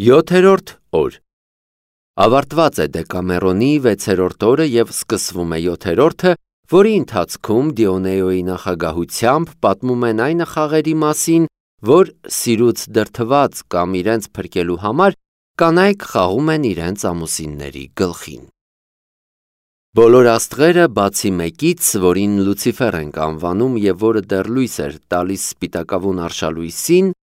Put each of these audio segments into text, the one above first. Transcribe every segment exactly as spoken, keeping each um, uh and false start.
Յոթերորդ օր Ավարտված է Դեկամերոնի վեցերորդ օրը և սկսվում է յոթերորդը, որի ընթացքում Դիոնեոյի նախագահությամբ պատմում են այն խաղերի մասին, որ սիրուց դրդված կամ իրենց փրկելու համար կանայք խաղում են իրենց ամուսինների գլխին։ Բոլոր աստղերը, բացի մեկից, որին Լուցիֆեր ենք անվանում և որը դեռ լույս էր տալիս սպիտակավուն արշալույսին,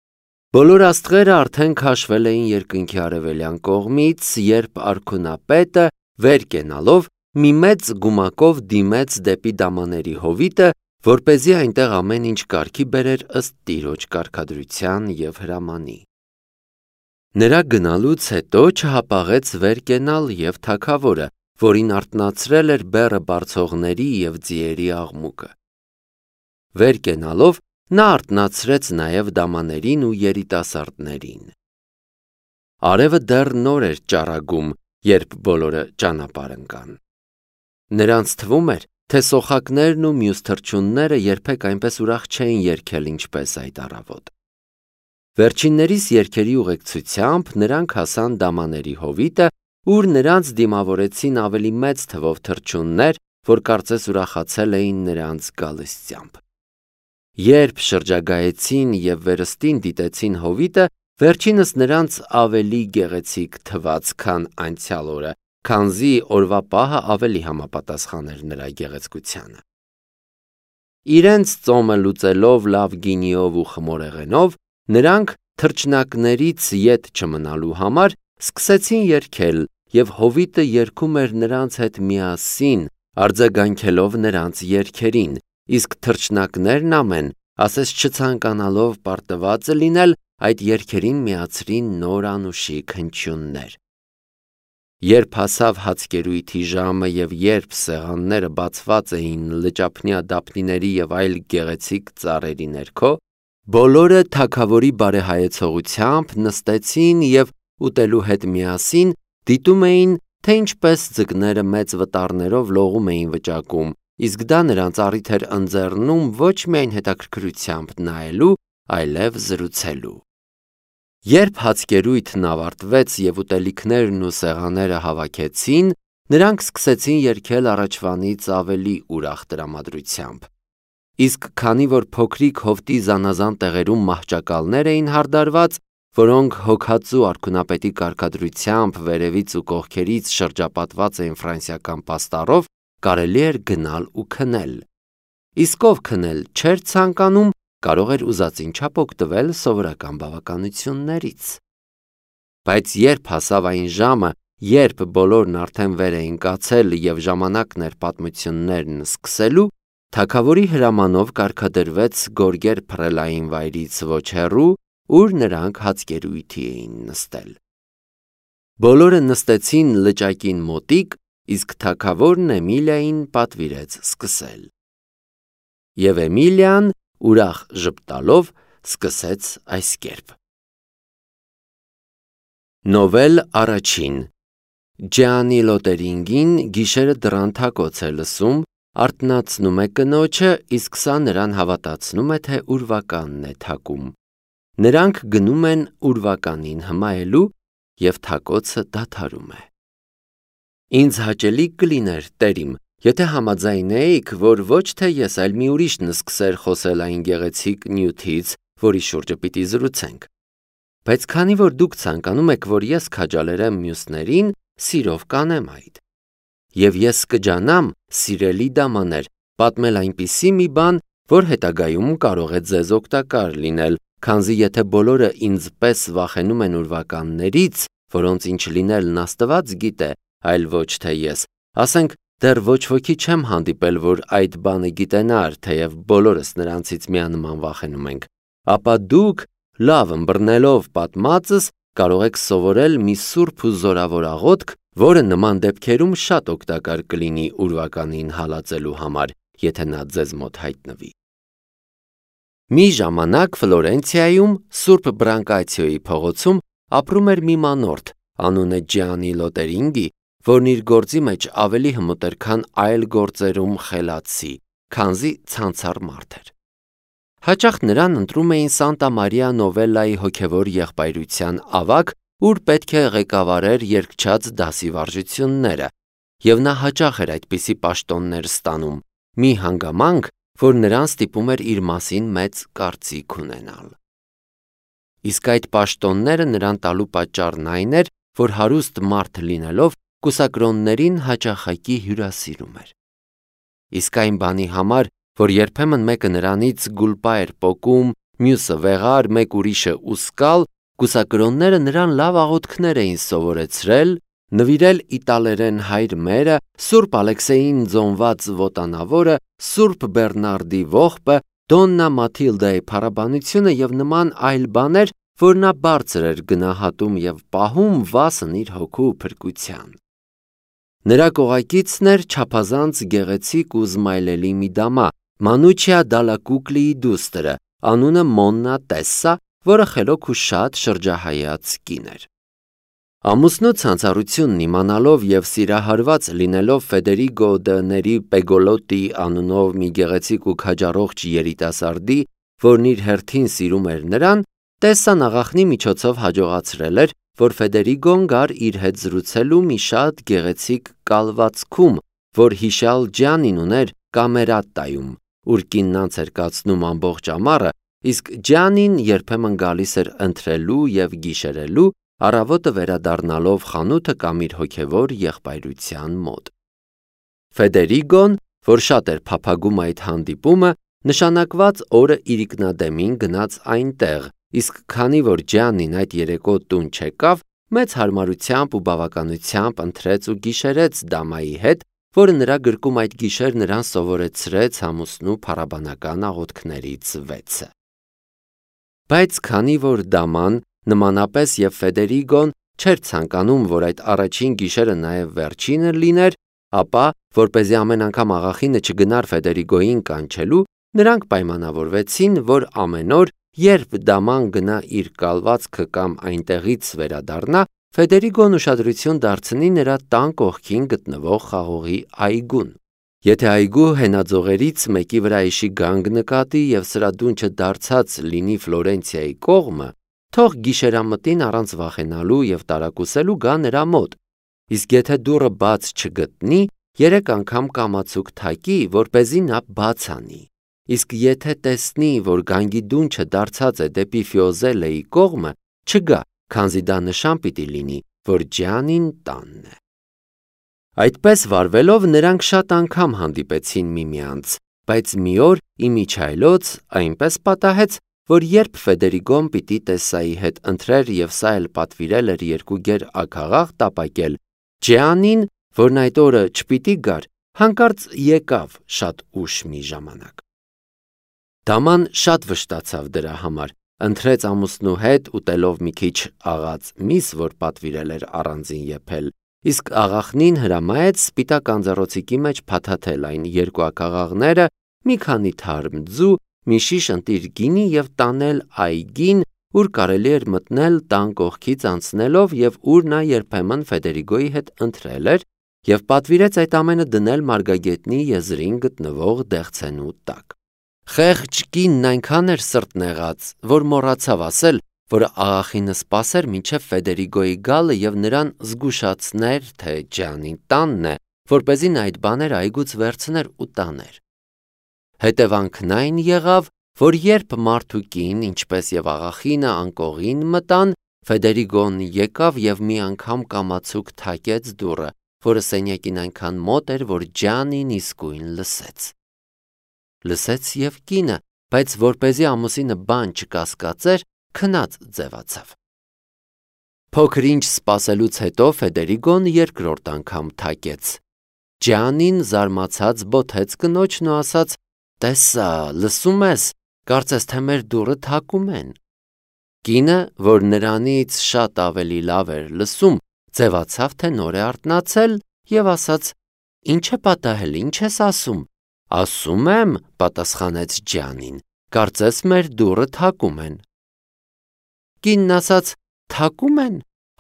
բոլոր աստղերը արդեն քաշվել էին երկնքի արևելյան կողմից, երբ արքունապետը վեր կենալով մի մեծ գումակով դիմեց դեպի դամաների հովիտը, որպեսզի այնտեղ ամեն ինչ կարգի բերեր ըստ Տիրոջ կարգադրության և հրամանի։ Նրա գնալուց հետո չհապաղեց վեր կենալ և թագավորը, որին արթնացրել էր բեռը բարձողների և ձիերի աղմուկը։ Վեր կենալով նա արթնացրեց նաև դամաներին ու երիտասարդներին։ Արևը դեռ նոր էր ճառագում, երբ բոլորը ճանապարհ ընկան։ Նրանց թվում էր, թե սոխակներն ու մյուս թռչունները երբեք այնպես ուրախ չէին երգել, ինչպես այդ առավոտ։ Վերջիններիս երգերի ուղեկցությամբ նրանք հասան դամաների հովիտը, ուր նրանց դիմավորեցին ավելի մեծ թվով թռչուններ, որ կարծես ուրախացել էին նրանց գալստյամբ։ Երբ շրջագայեցին և վերստին դիտեցին հովիտը, վերջինս նրանց ավելի գեղեցիկ թվաց, քան անցյալ օրը, քանզի օրվա պահը ավելի համապատասխան էր նրա գեղեցկությանը։ Իրենց ծոմը լուծելով լավ գինիով ու խմորեղենով, նրանք թռչնակներից ետ չմնալու համար սկսեցին երգել, և հովիտը երգում էր նրանց հետ միասին, արձագանքելով նրանց երգերին, իսկ թռչնակներն ամեն, ասես չցանկանալով պարտված լինել, այդ երգերին միացրին նոր անուշիկ հնչյուններ։ Երբ հասավ հացկերույթի ժամը և երբ սեղանները բացված էին լճափնյա դափնիների և այլ գեղեցիկ ծառերի ներքո, բոլորը թագավորի բարեհայեցողությամբ նստեցին և ուտելու հետ միասին դիտում էին, թե ինչպես ձկները մեծ վտարներով լողում էին վճակում, իսկ դա նրանց առիթ էր ընձեռնում ոչ միայն հետաքրքրությամբ նայելու, այլև զրուցելու։ Երբ հացկերույթն ավարտվեց և ուտելիքներն ու սեղանները հավաքեցին, նրանք սկսեցին երգել առաջվանից ավելի ուրախ տրամադրությամբ։ Իսկ քանի որ փոքրիկ հովտի զանազան տեղերում մահճակալներ էին հարդարված, որոնք հոգածու արքունապետի կարգադրությամբ վերևից ու կողքերից շրջապատված էին ֆրանսիական պաստառով, կարելի էր գնալ ու քնել։ Իսկ ով քնել չէր ցանկանում, կարող էր ուզածին չափ օգտվել սովորական բավականություններից։ Բայց երբ հասավ այն ժամը, երբ բոլորն արդեն վեր էին կացել և ժամանակն էր պատմություններն սկսելու, թագավորի հրամանով կարգադրվեց գորգեր փռելային վայրից ոչ հեռու, ուր նրանք հացկերույթի էին նստել։ Բոլորը նստեցին լճակին մոտիկ, իսկ թագավորն Էմիլիային պատվիրեց սկսել։ Եվ Էմիլիան, ուրախ ժպտալով, սկսեց այսկերպ. Նովել առաջին Ջեանի Լոտերինգին գիշերը դռան թակոց է լսում, արթնացնում է կնոջը, իսկ սա նրան հավատացնում է, թե ուրվականն է թակում։ Նրանք գնում են ուրվականին հմայելու, և թակոցը դադարում է։ Ինձ հաճելի կլիներ, տերիմ, եթե համաձայնեիք, որ ոչ թե ես, այլ մի ուրիշն սկսեր խոսել այն գեղեցիկ նյութից, որի շուրջը պիտի զրուցենք։ Բայց քանի որ դուք ցանկանում եք, որ ես քաջալերեմ մյուսներին, սիրով կանեմ այդ։ Եվ ես կջանամ, սիրելի դամաներ, պատմել այնպիսի մի բան, որ հետագայում կարող է ձեզ օգտակար լինել, քանզի եթե բոլորը ինձ պես վախենում են ուրվականներից, որոնց ինչ լինելն Աստված գիտե, այլ ոչ թե ես, ասենք, դեռ ոչ ոքի չեմ հանդիպել, որ այդ բանը գիտենար, թեև բոլորս նրանցից միանման վախենում ենք, ապա դուք, լավ ըմբռնելով պատմածս, կարող եք սովորել մի սուրբ ու զորավոր աղոթք, որը նման դեպքերում շատ օգտակար կլինի ուրվականին հալածելու համար, եթե նա ձեզ մոտ հայտնվի։ Մի ժամանակ Ֆլորենցիայում, Սուրբ Բրանկացիոյի փողոցում ապրում էր մի մանորդ, անունը Ջիանի Լոտերինգի, որն իր գործի մեջ ավելի հմուտ էր, քան այլ գործերում խելացի, քանզի ցանցառ մարդ էր։ Հաճախ նրան ընտրում էին Սանտա Մարիա Նովելլայի հոգևոր եղբայրության ավագ ուր պետք է ղեկավարեր երգչած դասի վարժությունները, և նա հաճախ էր այդպիսի պաշտոններ ստանում, մի հանգամանք, որ նրան ստիպում էր իր մասին մեծ կարծիք ունենալ։ Իսկ այդ պաշտոնները նրան տալու պատճառն այն էր, որ հարուստ մարդ լինելով կուսակրոններին հաճախակի հյուրասիրում էր։ Իսկ այն բանի համար, որ երբեմն մեկը նրանից գուլպա էր պոկում, մյուսը վեղար, մեկ ուրիշը ուսկալ, կուսակրոնները նրան լավ աղոթքներ էին սովորեցրել, նվիրել իտալերեն հայր մերը, Սուրբ Ալեքսեյին ձոնված ոտանավորը, Սուրբ Բեռնարդի ողբը, Դոննա Մաթիլդայի փառաբանությունը և նման այլ բաներ, որ նա բարձր էր գնահատում և պահում վասն իր հոգու փրկության։ Նրա կողակիցն էր չափազանց գեղեցիկ ու զմայլելի մի դամա, Մանուչիա դալա Կուկլիի դուստրը, անունը Մոննա Տեսսա, որը խելոք ու շատ շրջահայաց կին էր։ Ամուսնու ցանցառությունն իմանալով և սիրահարված լինելով Ֆեդերիգո դը Ների Պեգոլոտի անունով մի գեղեցիկ ու քաջառողջ երիտասարդի, որն իր հերթին սիրում էր նրան, Տեսսան աղախնի միջոցով հաջողացրել էր, որ Ֆեդերիգոն գար իր հետ զրուցելու մի շատ գեղեցիկ կալվածքում, որ հիշյալ Ջանին ուներ Կամերատտայում, ուր կինն անց էր կացնում ամբողջ ամառը, իսկ Ջանին երբեմն գալիս էր ընթրելու և գիշերելու, առավոտը վերադառնալով խանութը կամ իր հոգևոր եղբայրության մոտ։ Ֆեդերիգոն, որ շատ էր փափագում այդ հանդիպումը, նշանակված օրը իրիկնադեմին գնաց այնտեղ, իսկ քանի որ Ջանին այդ երեկո տուն չեկավ, մեծ հարմարությամբ ու բավականությամբ ընթրեց ու գիշերեց դամայի հետ, որը նրա գրկում այդ գիշեր նրան սովորեցրեց ամուսնու փառաբանական աղոթքներից վեցը։ Բայց քանի որ դաման, նմանապես և Ֆեդերիգոն, չէր ցանկանում, որ այդ առաջին գիշերը նաև վերջինը լիներ, ապա, որպեսզի ամեն անգամ աղախինը չգնար Ֆեդերիգոյին կանչելու, նրանք պայմանավորվեցին, որ ամեն օր, երբ դաման գնա իր կալվածքը կամ այնտեղից վերադառնա, Ֆեդերիգոն ուշադրություն դարձնի նրա տան կողքին գտնվող խաղողի այգուն։ Եթե այգու հենաձողերից մեկի վրա իշի գանգ նկատի և սրա դունչը դարձած լինի Ֆլորենցիայի կողմը, թող գիշերամտին առանց վախենալու և տարակուսելու գա նրա մոտ, իսկ եթե դուռը բաց չգտնի, երեք անգամ կամացուկ թակի, որպեսզի նա բաց անի, իսկ եթե տեսնի, որ գանգի դունչը դարձած է դեպի Ֆիոզելեի կողմը, չգա, քանզի դա նշան պիտի լինի, որ Ջանին տանն է։ Այդպես վարվելով նրանք շատ անգամ հանդիպեցին միմյանց, բայց մի օր իմիջայլոց այնպես պատահեց, որ երբ Ֆեդերիգոն պիտի Տեսսայի հետ ընթրեր և սա էլ պատվիրել էր երկու գեր աքաղաղ տապակել, Ջանին, որն այդ օրը չպիտի գար, հանկարծ եկավ շատ ուշ մի ժամանակ։ Դաման շատ վշտացավ դրա համար, ընթրեց ամուսնու հետ, ուտելով մի քիչ աղած միս, որ պատվիրել էր առանձին եփել, իսկ աղախնին հրամայեց սպիտակ անձեռոցիկի մեջ փաթաթել այն երկու աքաղաղները, մի քանի թարմ ձու, մի շիշ ընտիր գինի և տանել այգին, ուր կարելի էր մտնել տան կողքից անցնելով և ուր նա երբեմն Ֆեդերիգոյի հետ ընթրել էր և պատվիրեց այդ ամենը դնել մարգագետնի եզրին գտնվող դեղցենու տակ։ Խեղճ կինն այնքան էր սրտնեղած, որ մոռացավ ասել, որ աղախինը սպասեր մինչև Ֆեդերիգոյի գալը և նրան զգուշացներ, թե Ջանին տանն է, որպեսզի նա այդ բաները այգուց վերցներ ու տաներ։ Հետևանքն այն եղավ, որ երբ մարդ ու կին, ինչպես և աղախինը անկողին մտան, Ֆեդերիգոն եկավ և մի անգամ կամացուկ թակեց դուռը, որը սենյակին այնքան մոտ էր, որ Ջանին իսկույն լսեց։ Լսեց և կինը, բայց որպեսզի ամուսինը բան չկասկածեր, քնած ձևացավ։ Փոքր ինչ սպասելուց հետո Ֆեդերիգոն երկրորդ անգամ թակեց։ Ջանին զարմացած բոթեց կնոջն ու ասաց. «Տեսա, լսում ես, կարծես թե մեր դուռը թակում են»։ Կինը, որ նրանից շատ ավելի լավ էր լսում, ձևացավ, թե նոր է արթնացել և ասաց. «Ինչ է պատահել, ինչ ես ասում»։ «Ասում եմ», պատասխանեց Ջանին, «կարծես մեր դուռը թակում են»։ Կինն ասաց. «Թակում են,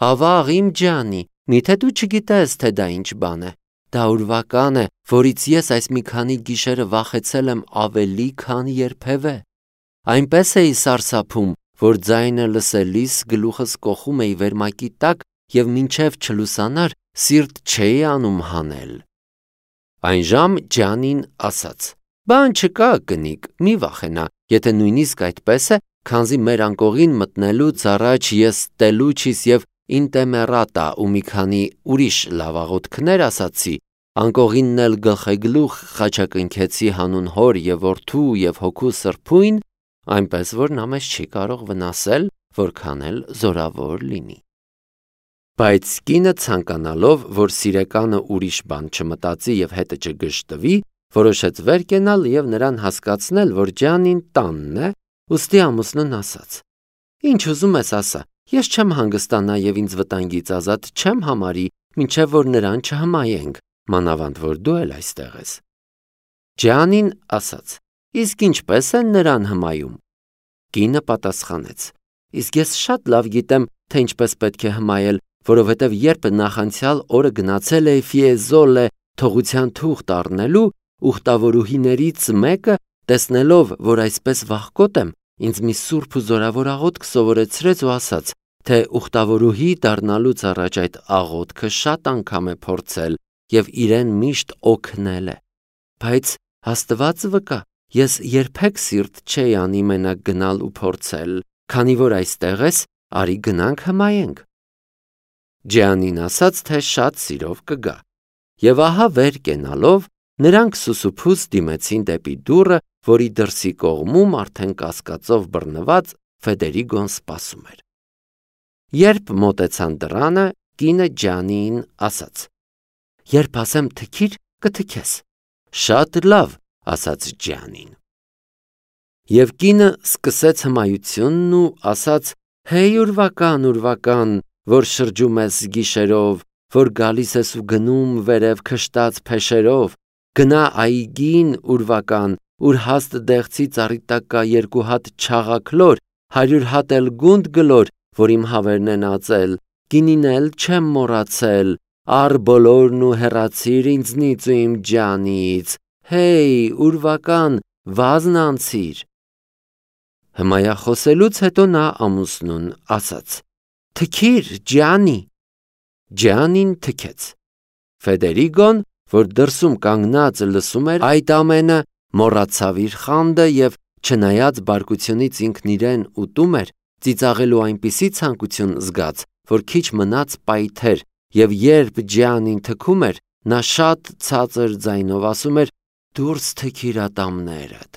ավաղ իմ ջանի, միթե դու չգիտես, թե դա ինչ բան է։ Դա ուրվական է, որից ես այս մի քանի գիշերը վախեցել եմ ավելի, քան երբևէ։ Այնպես էի սարսափում, որ ձայնը լսելիս գլուխս կոխում էի վերմակի տակ և մինչև չլուսանար սիրտ չէի անում հանել։ Այն ժամ Ջանին ասաց. «Բան չկա, կնիկ, մի վախենա, եթե նույնիսկ այդպես է, քանզի մեր անկողին մտնելուց առաջ ես Տելուչիս և Ինտեմերատա ու մի քանի ուրիշ լավ աղոթքներ ասացի, անկողինն էլ գլխեգլուխ խաչակնքեցի հանուն հոր և որդու և հոգու սրբույն, այնպես որ նա մեզ չի կարող վնասել, որքան էլ զորավոր լինի»։ Բայց կինը ցանկանալով, որ սիրեկանը ուրիշ բան չմտածի և հետը չգժտվի, որոշեց վեր կենալ և նրան հասկացնել, որ Ջանին տանն է, ուստի ամուսնուն ասաց. «Ինչ ուզում ես ասա, ես չեմ հանգստանա և ինձ վտանգից ազատ չեմ համարի, մինչև որ նրան չհմայենք, մանավանդ որ դու էլ այստեղ ես»։ Ջանին ասաց. «Իսկ ինչպե՞ս են նրան հմայում»։ Կինը պատասխանեց. «Իսկ ես շատ լավ գիտեմ, թե ինչպես պետք է հմայել, որովհետև երբ նախանցյալ օրը գնացել էի Ֆիեզոլե թողության թուղթ առնելու, ուխտավորուհիներից մեկը, տեսնելով, որ այսպես վախկոտ եմ, ինձ մի սուրբ ու զորավոր աղոթք սովորեցրեց ու ասաց, թե ուխտավորուհի դառնալուց առաջ այդ աղոթքը շատ անգամ է փորձել և իրեն միշտ օգնել է։ Բայց Աստված վկա, ես երբեք սիրտ չէի անի մենակ գնալ ու փորձել, քանի որ այստեղ ես, արի գնանք հմայենք»։ Ջանին ասաց, թե շատ սիրով կգա։ Եվ ահա վեր կենալով, նրանք սուսուփուս դիմեցին դեպի դուռը, որի դրսի կողմում արդեն կասկածով բռնված Ֆեդերիգոն սպասում էր։ Երբ մոտեցան դռանը, կինը Ջանիին ասաց. «Երբ ասեմ թքիր, կթքես»։ «Շատ լավ», ասաց Ջանին։ Եվ կինը սկսեց հմայությունն ու ասաց. «Հեյ ուրվական, ուրվական, որ շրջում ես գիշերով, որ գալիս ես ու գնում վերև քշտած փեշերով, գնա այգին ուրվական, ուր հաստ դեղցի ծառի տակ կա երկու հատ չաղաքլոր, հարյուր հատ էլ գունդ գլոր, որ իմ հավերն են ածել, գինին էլ չեմ մոռացել, առ բոլորն ու հեռացիր ինձնից ու իմ Ջանից, հեյ ուրվական, վազն անցիր»։ Հմայախոսելուց հետո նա ամուսնուն ասաց. «Թքիր, Ջանի»։ Ջանին թքեց։ Ֆեդերիգոն, որ դրսում կանգնած լսում էր այդ ամենը, մոռացավ իր խանդը և չնայած բարկությունից ինքն իրեն ուտում էր, ծիծաղելու այնպիսի ցանկություն զգաց, որ քիչ մնաց պայթեր, և երբ Ջանին թքում էր, նա շատ ցածր ձայնով ասում էր. «Դուրս թքիր ատամներդ»։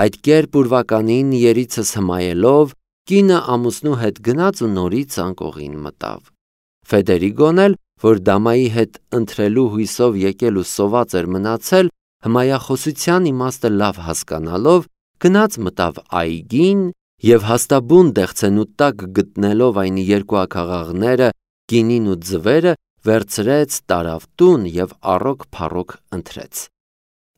Այդ կերպ ուրվականին երիցս հմայելով, կինը ամուսնու հետ գնաց ու նորից անկողին մտավ։ Ֆեդերիգոն էլ, որ դամայի հետ ընթրելու հույսով եկել ու սոված էր մնացել, հմայախոսության իմաստը լավ հասկանալով, գնաց մտավ այգին և հաստաբուն դեղցենու տակ գտնելով այն երկու աքաղաղները, կինին ու ձվերը, վերցրեց, տարավ տուն և առոք-փառոք ընթրեց։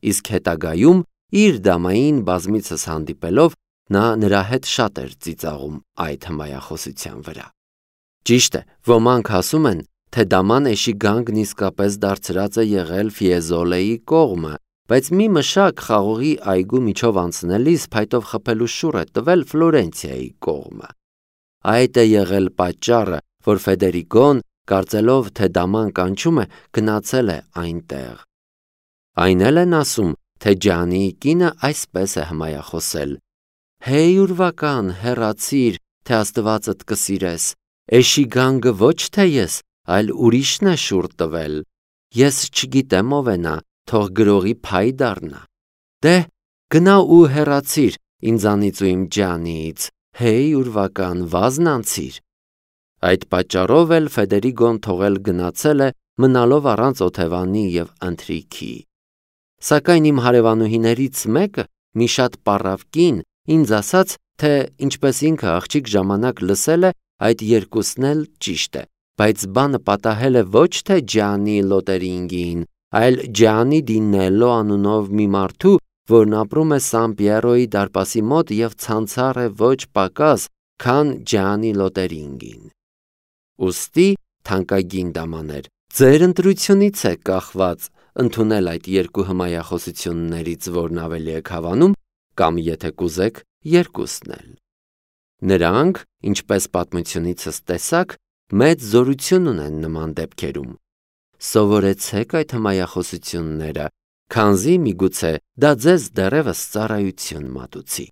Իսկ հետագայում իր դամային բազմիցս հանդիպելով, նա նրա հետ շատ էր ծիծաղում այդ հմայախոսության վրա։ Ճիշտ է, ոմանք ասում են, թե դաման էշի գանգն իսկապես դարձրած է եղել Ֆիեզոլեի կողմը, բայց մի մշակ խաղողի այգու միջով անցնելիս փայտով խփելու շուռ է տվել Ֆլորենցիայի կողմը։ Այդ է եղել պատճառը, որ Ֆեդերիգոն, կարծելով, թե դաման կանչում է, գնացել է այնտեղ։ Այն էլ են ասում, թե Ջանիի կինը այսպես է հմայախոսել. «Հեյ ուրվական, հեռացիր, թե Աստվածդ կսիրես, էշի գանգը ոչ թե ես, այլ ուրիշն է շուռ տվել, ես չգիտեմ ով է նա, թող գրողի փայ դառնա, դե գնա ու հեռացիր ինձանից ու իմ Ջանիից, հեյ ուրվական, վազն անցիր»։ Այդ պատճառով էլ Ֆեդերիգոն թողել գնացել է, մնալով առանց օթևանի և ընթրիքի։ Սակայն իմ հարևանուհիներից մեկը, մի շատ պառավ կին, ինձ ասաց, թե ինչպես ինքը աղջիկ ժամանակ լսել է, այդ երկուսն էլ ճիշտ է, բայց բանը պատահել է ոչ թե Ջանի Լոտերինգին, այլ Ջանի դի Նելլո անունով մի մարդու, որն ապրում է Սան Պիերոյի դարպասի մոտ և ցանցառ է ոչ պակաս, քան Ջանի Լոտերինգին։ Ուստի, թանկագին դամաներ, ձեր ընտրությունից է կախված ընդունել այդ երկու հմայախոսություններից որն ավելի եք հավանում, կամ եթե կուզեք, երկուսն էլ։ Նրանք, ինչպես պատմությունիցս տեսաք, մեծ զորություն ունեն նման դեպքերում։ Սովորեցեք այդ հմայախոսությունները, քանզի միգուցե դա ձեզ դեռևս ծառայություն մատուցի։